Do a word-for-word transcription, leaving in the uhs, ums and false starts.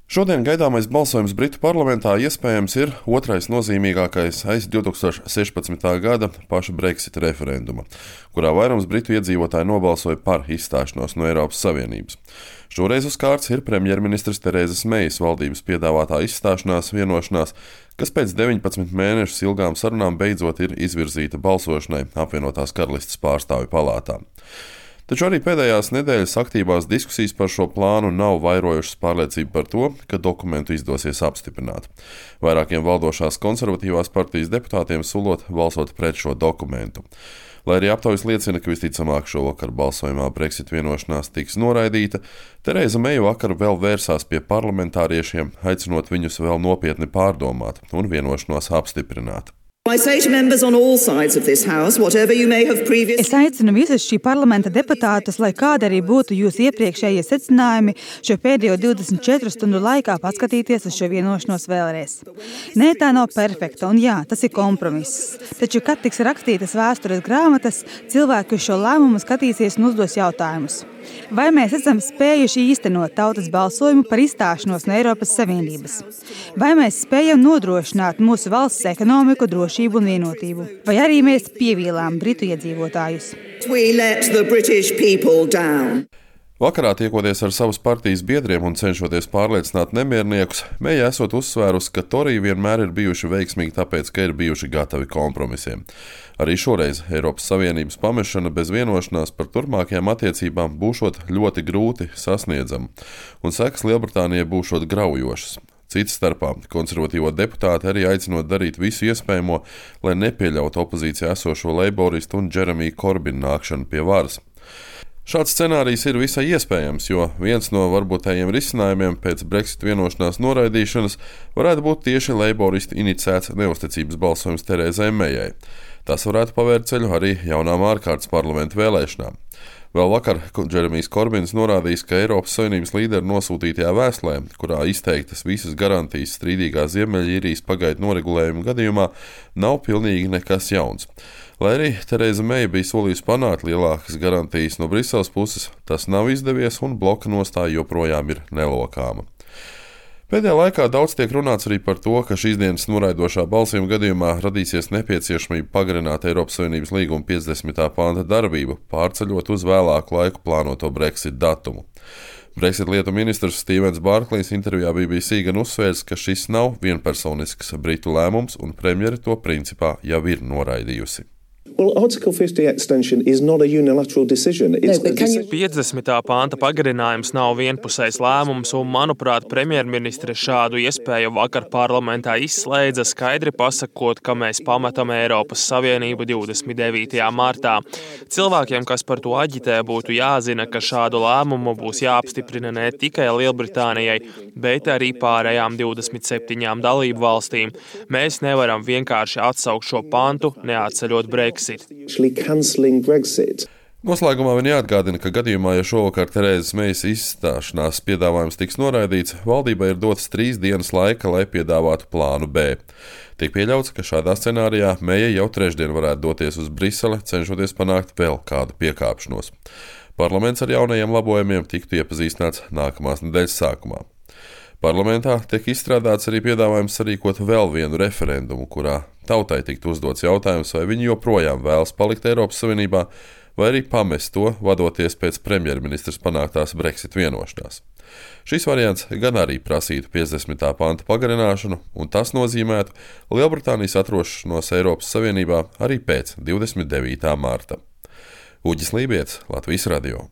Šodien gaidāmais balsojums Britu parlamentā iespējams ir otrais nozīmīgākais aiz divē tūkstoši sešpadsmitā gada paša Brexit referenduma, kurā vairums britu iedzīvotāji nobalsoja par izstāšanos no Eiropas Savienības. Šoreiz uz kārts ir premjerministres Terēzes Meijas valdības piedāvātā izstāšanās vienošanās, kas pēc deviņpadsmit mēnešus ilgām sarunām beidzot ir izvirzīta balsošanai apvienotās karalistes pārstāvju palātā. Taču arī pēdējās nedēļas aktīvās diskusijas par šo plānu nav vairojušas pārliecību par to, ka dokumentu izdosies apstiprināt. Vairākiem valdošās konservatīvās partijas deputātiem sulot balsot pret šo dokumentu. Lai arī aptaujas liecina, ka visticamāk šovakar balsojumā Brexit vienošanās tiks noraidīta, Terēza Meija vakar vēl vērsās pie parlamentāriešiem, aicinot viņus vēl nopietni pārdomāt un vienošanos apstiprināt. Es aicinu visus šī parlamenta deputātus, lai kāda arī būtu jūsu iepriekšējie secinājumi, šo pēdējo divdesmit četru stundu laikā paskatīties uz šo vienošanos vēlreiz. Nē, tā nav perfekta, un jā, tas ir kompromiss. Taču, kad tiks rakstītas vēstures grāmatas, cilvēki uz šo lēmumu skatīsies un uzdos jautājumus. Vai mēs esam spējuši īstenot tautas balsojumu par izstāšanos no Eiropas Savienības? Vai mēs spējam nodrošināt mūsu valsts ekonomiku, drošību un vienotību? Vai arī mēs pievīlām britu iedzīvotājus? Vakarā tiekoties ar savas partijas biedriem un cenšoties pārliecināt nemierniekus, Meija esot uzsvērusi, ka Toriji vienmēr ir bijuši veiksmīgi tāpēc, ka ir bijuši gatavi kompromisiem. Arī šoreiz Eiropas Savienības pamešana bez vienošanās par turpmākajām attiecībām būšot ļoti grūti sasniedzama, un sekas Lielbritānijai būšot graujošas. Cits starpā konservatīvo deputāti arī aicinot darīt visu iespējamo, lai nepieļautu opozīcijā esošo leiboristu un Jeremiju Korbinu nākšanu pie varas. Šāds scenārijs ir visai iespējams, jo viens no varbūtējiem risinājumiem pēc Brexit vienošanās noraidīšanas varētu būt tieši leiboristu inicēts neuzticības balsojums Terēzei Meijai. Tas varētu pavērt ceļu arī jaunām ārkārtas parlamentu vēlēšanām. Vēl vakar Jeremijs Korbins norādījis, ka Eiropas Savienības līderu nosūtītajā vēstulē, kurā izteiktas visas garantijas strīdīgā Ziemeļīrijas pagaidu noregulējuma gadījumā, nav pilnīgi nekas jauns. Lai arī Terēza Meija bija solījusi panākt lielākas garantijas no Briseles puses, tas nav izdevies un bloka nostāja joprojām ir nelokāma. Pēdējā laikā daudz tiek runāts arī par to, ka šīs dienas noraidošā balsojuma gadījumā radīsies nepieciešamība pagarināt Eiropas Savienības līguma piecdesmitā panta darbību, pārceļot uz vēlāku laiku plānoto Brexit datumu. Brexit lietu ministrs Stevens Barklejs intervijā B B C gan uzsvērs, ka šis nav vienpersonisks britu lēmums un premjere to principā jau ir noraidījusi. Well, Article fifty extension is not a unilateral decision. It's no, you... piecdesmitā panta pagarinājums nav vienpusējs lēmums, un, manuprāt, premjerministre šādu iespēju vakar parlamentā izslēdza, skaidri pasakot, ka mēs pametam Eiropas Savienību divdesmit devītajā martā. Cilvēkiem, kas par to aģitē, būtu jāzina, ka šādu lēmumu būs jāapstiprina ne tikai Lielbritānijai, bet arī pārējām divdesmit septiņām dalību valstīm. Mēs nevaram vienkārši atsaukt šo pantu, neatceļot Brexit. Noslēgumā vien jāatgādina, ka gadījumā, ja šovakar Terēzes Meijas izstāšanās piedāvājums tiks noraidīts, valdībai ir dotas trīs dienas laika, lai piedāvātu plānu B. Tiek pieļauts, ka šādā scenārijā Meija jau trešdien varētu doties uz Briseli, cenšoties panākt vēl kādu piekāpšanos. Parlaments ar jaunajiem labojumiem tiktu iepazīstināts nākamās nedēļas sākumā. Parlamentā tiek izstrādāts arī piedāvājums sarīkot vēl vienu referendumu, kurā tautai tiktu uzdots jautājums, vai viņi joprojām vēlas palikt Eiropas Savienībā, vai arī pamest to, vadoties pēc premjerministres panāktās Brexit vienošanās. Šis variants gan arī prasītu piecdesmitā panta pagarināšanu, un tas nozīmētu Lielbritānijas atrošanos Eiropas Savienībā arī pēc divdesmit devītā marta. Uģis Lībietis, Latvijas radio.